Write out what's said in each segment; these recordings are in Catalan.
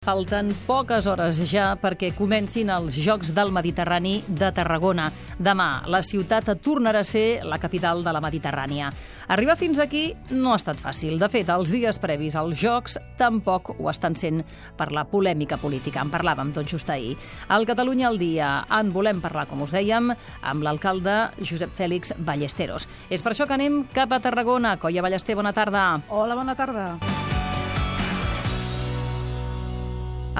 Falten poques hores ja perquè comencin els Jocs del Mediterrani de Tarragona. Demà, la ciutat tornarà a ser la capital de la Mediterrània. Arribar fins aquí no ha estat fàcil. De fet, els dies previs als Jocs tampoc ho estan sent per la polèmica política. En parlàvem tot just ahir. Al Catalunya al dia en volem parlar, com us dèiem, amb l'alcalde Josep Fèlix Ballesteros. És per això que anem cap a Tarragona. Coia Ballester, bona tarda. Hola, bona tarda.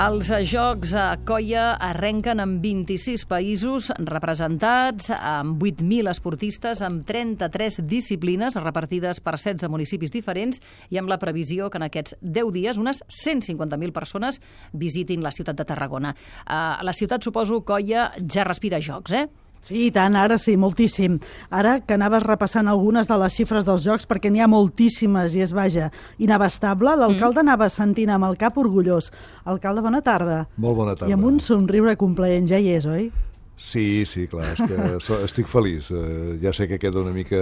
Els Jocs a Coia arrenquen amb 26 països representats, amb 8.000 esportistes, amb 33 disciplines repartides per 16 municipis diferents i amb la previsió que en aquests 10 dies unes 150.000 persones visitin la ciutat de Tarragona. La ciutat, suposo, Coia, ja respira Jocs, eh? Sí, i tant, ara sí, moltíssim. Ara que anaves repassant algunes de les xifres dels Jocs, perquè n'hi ha moltíssimes i és, vaja, inabastable, l'alcalde anava sentint amb el cap orgullós. Alcalde, bona tarda. Molt bona tarda. I amb un somriure complaent, ja hi és, oi? Sí, clar, és que estic feliç. Ja sé que queda una mica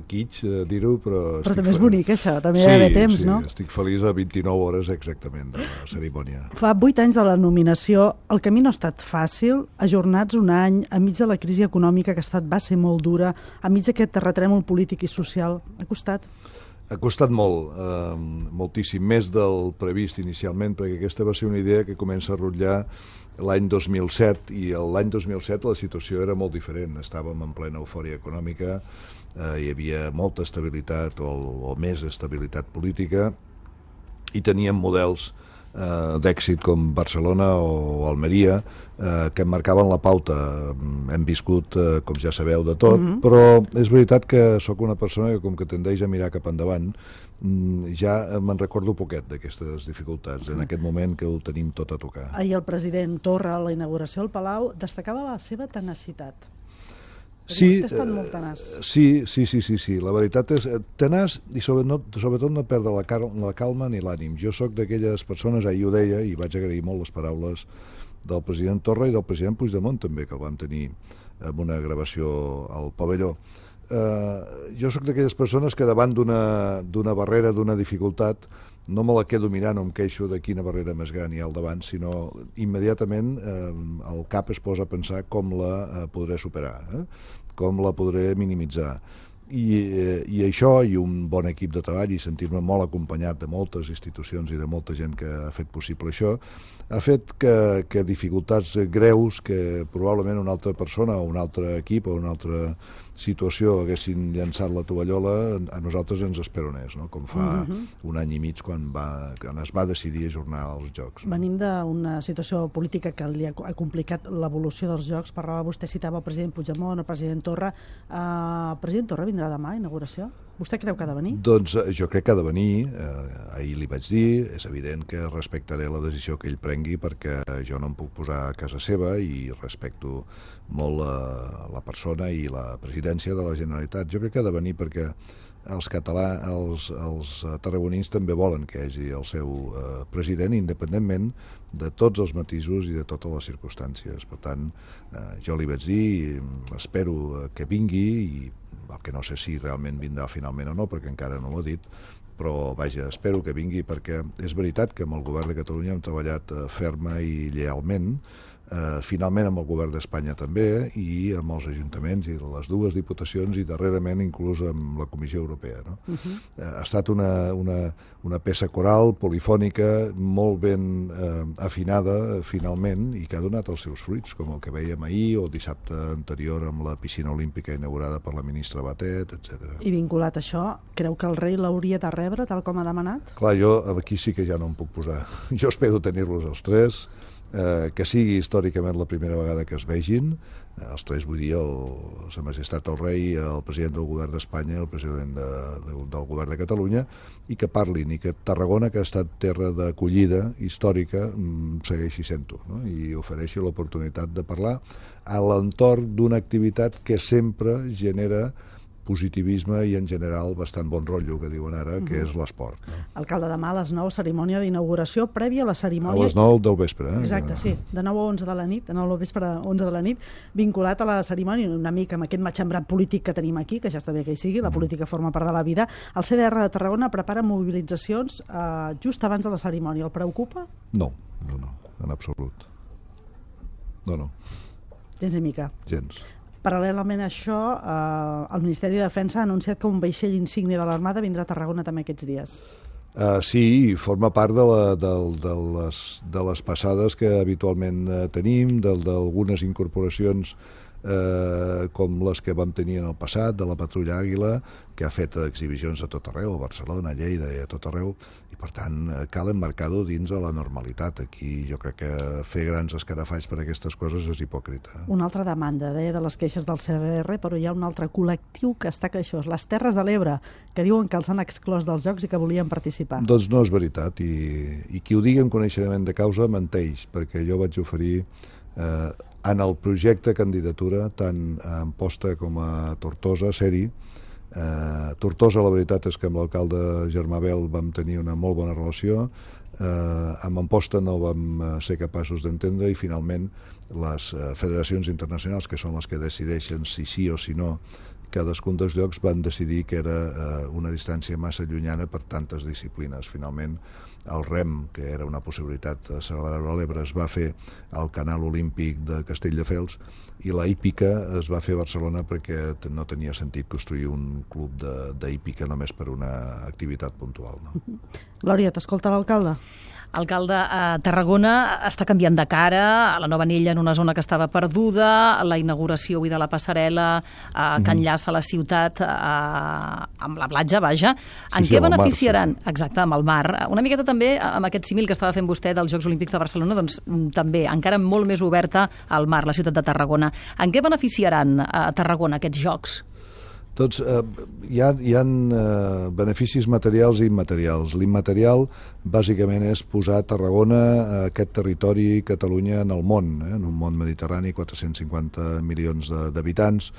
kitsch dir-ho, però també és bonic, això, també hi ha d'haver temps, no? Sí, estic feliç a 29 hores exactament de la cerimònia. Fa 8 anys de la nominació, el camí no ha estat fàcil, ajornats un any, enmig de la crisi econòmica que va ser molt dura, enmig d'aquest terratrèmol polític i social. Ha costat? Ha costat molt, moltíssim, més del previst inicialment, perquè aquesta va ser una idea que comença a rotllar l'any 2007, i l'any 2007 la situació era molt diferent. Estàvem en plena eufòria econòmica, hi havia molta estabilitat o més estabilitat política, i teníem models d'èxit com Barcelona o Almeria que marcaven la pauta. Hem viscut, com ja sabeu, de tot, però és veritat que sóc una persona que, com que tendeix a mirar cap endavant, ja me'n recordo poquet d'aquestes dificultats, en aquest moment que ho tenim tot a tocar. Ahir el president Torra, a la inauguració al Palau, destacava la seva tenacitat. Sí, vostè ha estat molt tenaç. Sí. La veritat és tenaç i sobretot no perdre la calma ni l'ànim. Jo sóc d'aquelles persones, ahir ho deia, i vaig agrair molt les paraules del president Torra i del president Puigdemont també, que el vam tenir en una gravació al pavelló. Jo sóc d'aquelles persones que davant d'una barrera, d'una dificultat, no me la quedo mirant o em queixo de quina barrera més gran hi ha al davant, sinó immediatament el cap es posa a pensar com la podré superar, com la podré minimitzar. I això, i un bon equip de treball, i sentir-me molt acompanyat de moltes institucions i de molta gent que ha fet possible això, ha fet que dificultats greus que probablement una altra persona o un altre equip o una altra situació haguessin llançat la tovallola, a nosaltres ens esperonés, no? Com fa un any i mig quan es va decidir ajornar els Jocs. Venim d'una situació política que li ha complicat l'evolució dels Jocs. Parlava, vostè citava el president Puigdemont, el president Torra. El president Torra vindrà demà a inauguració? Vostè creu que ha de venir? Doncs jo crec que ha de venir. Ahir li vaig dir, és evident que respectaré la decisió que ell prengui perquè jo no em puc posar a casa seva i respecto molt la persona i la presidència de la Generalitat. Jo crec que ha de venir perquè els tarragonins també volen que hi hagi el seu president, independentment de tots els matisos i de totes les circumstàncies. Per tant, jo li vaig dir, espero que vingui, i el que no sé si realment vindrà finalment o no, perquè encara no ho ha dit, però vaja, espero que vingui perquè és veritat que amb el govern de Catalunya hem treballat ferma i llealment, finalment amb el govern d'Espanya també, i amb els ajuntaments i les dues diputacions, i darrerament inclús amb la Comissió Europea, no? Ha estat una peça coral, polifònica, molt ben afinada finalment, i que ha donat els seus fruits, com el que veiem ahir o dissabte anterior amb la piscina olímpica inaugurada per la ministra Batet, etc. I vinculat a això, creu que el rei l'hauria de rebre tal com ha demanat? Clar, jo aquí sí que ja no em puc posar. Jo espero tenir-los els tres, que sigui històricament la primera vegada que es vegin, els tres, vull dir, Sa Majestat el Rei, el president del govern d'Espanya i el president del govern de Catalunya, i que parlin, i que Tarragona, que ha estat terra d'acollida històrica, segueixi sent-ho, no? I ofereixi l'oportunitat de parlar a l'entorn d'una activitat que sempre genera positivisme i en general bastant bon rotllo, que diuen ara, que és l'esport. Alcalde, demà a les 9, cerimònia d'inauguració, prèvia a la cerimònia... A les 9 del vespre, Exacte, sí, de 9 a 11 de la nit, de 9 del vespre a 11 de la nit, vinculat a la cerimònia, una mica amb aquest matxembrat polític que tenim aquí, que ja està bé que hi sigui, la política forma part de la vida. El CDR de Tarragona prepara mobilitzacions just abans de la cerimònia. El preocupa? No, en absolut. No. Gens ni mica. Gens. Paral·lelament a això, el Ministeri de Defensa ha anunciat que un vaixell insígnia de l'Armada vindrà a Tarragona també aquests dies. Sí, forma part de les passades que habitualment tenim, d'algunes incorporacions com les que vam tenir en el passat, de la Patrulla Àguila, que ha fet exhibicions a tot arreu, a Barcelona, a Lleida i a tot arreu, i per tant cal emmarcar-ho dins de la normalitat. Aquí jo crec que fer grans escarafalls per aquestes coses és hipòcrita. Una altra demanda, deia, de les queixes del CDR, però hi ha un altre col·lectiu que està queixós, les Terres de l'Ebre, que diuen que els han exclòs dels Jocs i que volien participar. Doncs no és veritat, i qui ho digui amb coneixement de causa menteix, perquè jo vaig oferir en el projecte candidatura, tant a Amposta com a Tortosa, ser-hi. Tortosa, la veritat és que amb l'alcalde Germà Bel vam tenir una molt bona relació, amb Amposta no vam ser capaços d'entendre i finalment les federacions internacionals, que són les que decideixen si sí o si no cadascun dels llocs, van decidir que era una distància massa llunyana per tantes disciplines. Finalment, el rem, que era una possibilitat a celebrar l'Ebre, es va fer al Canal Olímpic de Castelldefels, i la hípica es va fer a Barcelona perquè no tenia sentit construir un club d'hípica només per una activitat puntual. No? Glòria, t'escolta l'alcalde? Alcalde, Tarragona està canviant de cara, a la nova anella en una zona que estava perduda, la inauguració avui de la passarel·la que enllaça la ciutat amb la platja, vaja. En què beneficiaran? Exacte, amb el mar. Una miqueta també amb aquest símil que estava fent vostè dels Jocs Olímpics de Barcelona, doncs també encara molt més oberta al mar, la ciutat de Tarragona. En què beneficiaran a Tarragona aquests Jocs? Doncs hi ha beneficis materials i immaterials. L'immaterial, bàsicament, és posar Tarragona, aquest territori, Catalunya, en el món, en un món mediterrani, 450 milions d'habitants,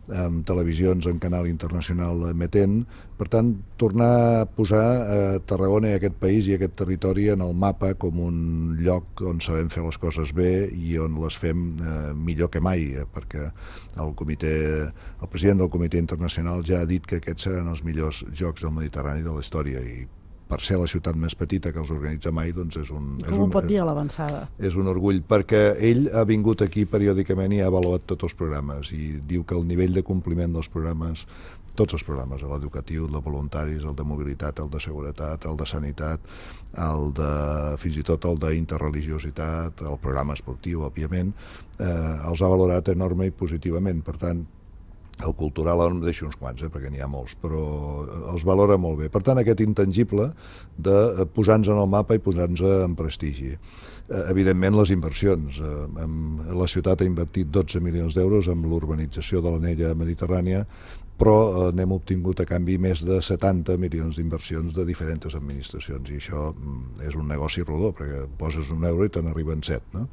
amb televisions en canal internacional emetent. Per tant, tornar a posar Tarragona i aquest país i aquest territori en el mapa com un lloc on sabem fer les coses bé i on les fem millor que mai, perquè el president del Comitè Internacional ja ha dit que aquests seran els millors Jocs del Mediterrani de la història, i per ser la ciutat més petita que els organitza mai, doncs és un... Com ho pot dir a l'avançada? És un orgull, perquè ell ha vingut aquí periòdicament i ha avaluat tots els programes, i diu que el nivell de compliment dels programes, tots els programes, l'educatiu, el de voluntaris, el de mobilitat, el de seguretat, el de sanitat, fins i tot el d'interreligiositat, el programa esportiu, òbviament, els ha valorat enorme i positivament. Per tant, el cultural ara em deixo uns quants, perquè n'hi ha molts, però els valora molt bé. Per tant, aquest intangible de posar-nos en el mapa i posar-nos en prestigi. Evidentment, les inversions. La ciutat ha invertit 12 milions d'euros en l'urbanització de l'anella mediterrània, però n'hem obtingut a canvi més de 70 milions d'inversions de diferents administracions, i això és un negoci rodó, perquè poses €1 i te n'arriben 7. No?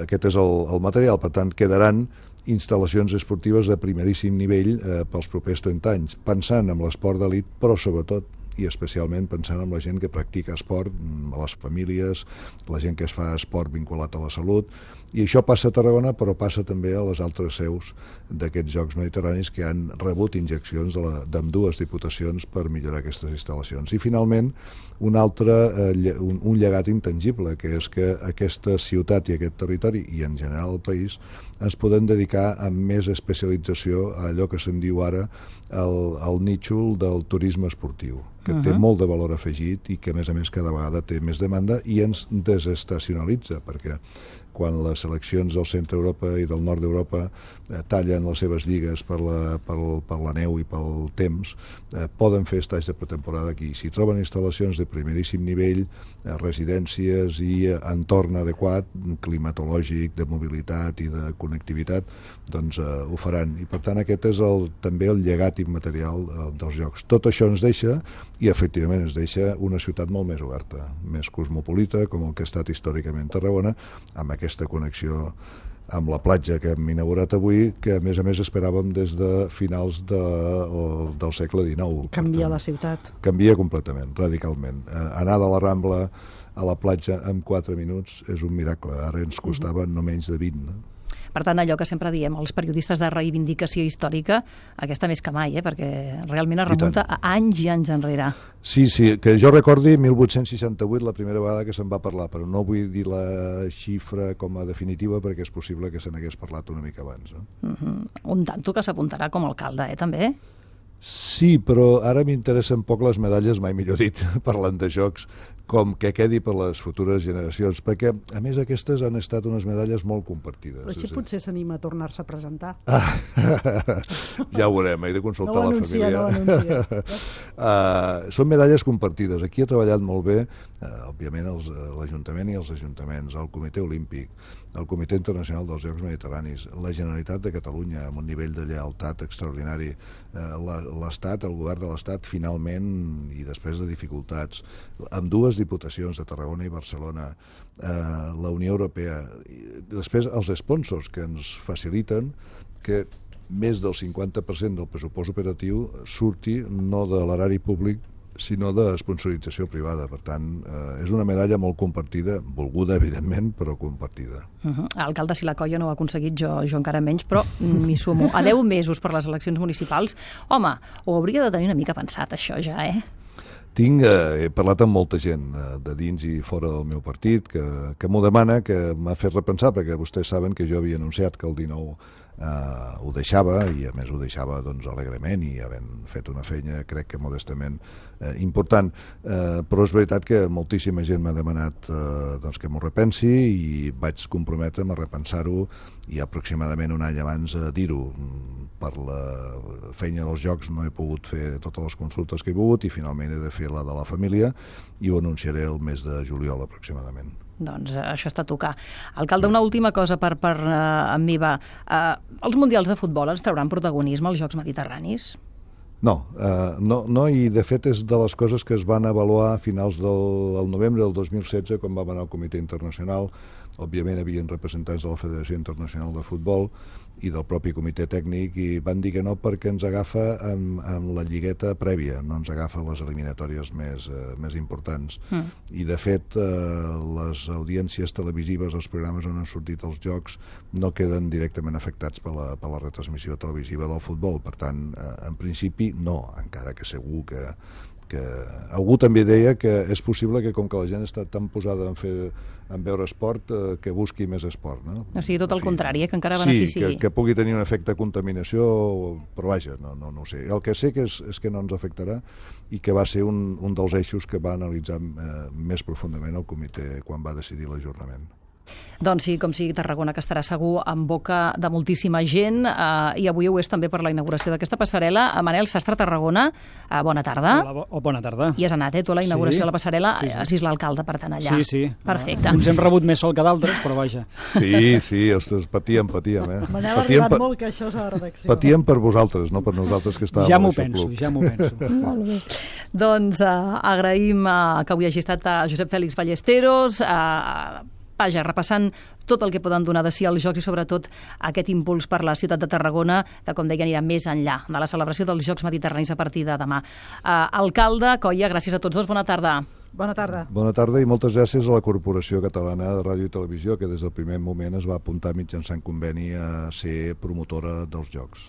Aquest és el material. Per tant, quedaran instal·lacions esportives de primeríssim nivell pels propers 30 anys, pensant en l'esport d'elit, però sobretot i especialment pensant en la gent que practica esport, les famílies, la gent que es fa esport vinculat a la salut, i això passa a Tarragona, però passa també a les altres seus d'aquests Jocs Mediterranis que han rebut injeccions d'ambdues diputacions per millorar aquestes instal·lacions. I finalment, un llegat intangible, que és que aquesta ciutat i aquest territori, i en general el país, ens podem dedicar amb més especialització a allò que se'n diu ara el nítxol del turisme esportiu, que té molt de valor afegit i que, a més, cada vegada té més demanda i ens desestacionalitza, perquè quan les seleccions del centre d'Europa i del nord d'Europa tallen les seves lligues per la neu i pel temps, poden fer estats de pretemporada aquí. Si troben instal·lacions de primeríssim nivell, residències i entorn adequat, climatològic, de mobilitat i de connectivitat, doncs ho faran. I per tant aquest és també el llegat immaterial dels Jocs. Tot això ens deixa, i efectivament ens deixa, una ciutat molt més oberta, més cosmopolita, com el que ha estat històricament Tarragona, amb aquesta connexió amb la platja que hem inaugurat avui, que a més esperàvem des de finals del segle XIX. Canvia la ciutat. Canvia completament, radicalment. Anar de la Rambla a la platja en 4 minuts és un miracle. Ara ens costava no menys de 20. Per tant, allò que sempre diem, els periodistes de reivindicació històrica, aquesta més que mai, perquè realment es remunta a anys i anys enrere. Sí, que jo recordi 1868, la primera vegada que se'n va parlar, però no vull dir la xifra com a definitiva perquè és possible que se n'hagués parlat una mica abans. Un tanto que s'apuntarà com a alcalde, també? Sí, però ara m'interessen poc les medalles, mai millor dit, parlant de jocs, com que quedi per les futures generacions, perquè, a més, aquestes han estat unes medalles molt compartides. Però així potser s'anima a tornar-se a presentar. Ja ho veurem, he de consultar la família. No ho anuncia. Són medalles compartides. Aquí ha treballat molt bé, òbviament, l'Ajuntament i els ajuntaments, el Comitè Olímpic, el Comitè Internacional dels Jocs Mediterranis, la Generalitat de Catalunya, amb un nivell de lleialtat extraordinari, l'Estat, el govern de l'Estat, finalment, i després de dificultats, amb dues diputacions de Tarragona i Barcelona, la Unió Europea, després els sponsors que ens faciliten que més del 50% del pressupost operatiu surti no de l'erari públic sinó de sponsorització privada. Per tant, és una medalla molt compartida, volguda, evidentment, però compartida. Alcalde, si la colla no ho ha aconseguit, jo encara menys, però m'hi sumo. A 10 mesos per les eleccions municipals, home, ho hauria de tenir una mica pensat, això ja, He parlat amb molta gent de dins i fora del meu partit que m'ho demana, que m'ha fet repensar, perquè vostès saben que jo havia anunciat que el 19 ho deixava, i a més ho deixava alegrement i havent fet una feina, crec que modestament important, però és veritat que moltíssima gent m'ha demanat que m'ho repensi i vaig comprometre'm a repensar-ho i aproximadament un any abans dir-ho. Per la feina dels jocs no he pogut fer totes les consultes que he volgut i finalment he de fer la de la família i ho anunciaré el mes de juliol aproximadament. Doncs això està a tocar. Alcalde, una última cosa per en meva. Els mundials de futbol ens trauran protagonisme als Jocs Mediterranis? No, i de fet és de les coses que es van avaluar a finals del novembre del 2016 quan vam anar al Comitè Internacional. Òbviament havien representants de la Federació Internacional de Futbol i del propi comitè tècnic i van dir que no perquè ens agafa amb la lligueta prèvia, no ens agafa les eliminatòries més importants. I de fet les audiències televisives, els programes on han sortit els jocs no queden directament afectats per la retransmissió televisiva del futbol. Per tant, en principi no, encara que segur que algú també deia que és possible que com que la gent està tan posada en veure esport que busqui més esport, no? O sigui, tot el contrari, que encara beneficiï. Sí, que pugui tenir un efecte de contaminació, però vaja, no ho sé. El que sé que és que no ens afectarà i que va ser un dels eixos que va analitzar més profundament el comitè quan va decidir l'ajornament. Doncs sí, com sigui, Tarragona, que estarà segur en boca de moltíssima gent i avui ho és també per la inauguració d'aquesta passarel·la. Manel Sastre, Tarragona, bona tarda. Hola, bona tarda. I has anat, tu, a la inauguració de la passarel·la, has vist l'alcalde, per tant, allà. Sí. Perfecte. Uns hem rebut més sol que d'altres, però vaja. Sí, ostres, patíem. Manel ha arribat molt que això és a la redacció. Patíem per vosaltres, no per nosaltres que estàvem ja a l'això club. Ja m'ho penso. Molt bé. Doncs agraïm que avui hagi estat a Josep Fèlix Ballesteros, vaja, repassant tot el que poden donar de si als Jocs i sobretot aquest impuls per la ciutat de Tarragona, que com deia anirà més enllà de la celebració dels Jocs Mediterranis a partir de demà. Alcalde, Coia, gràcies a tots dos, bona tarda. Bona tarda. Bona tarda i moltes gràcies a la Corporació Catalana de Ràdio i Televisió, que des del primer moment es va apuntar mitjançant conveni a ser promotora dels Jocs.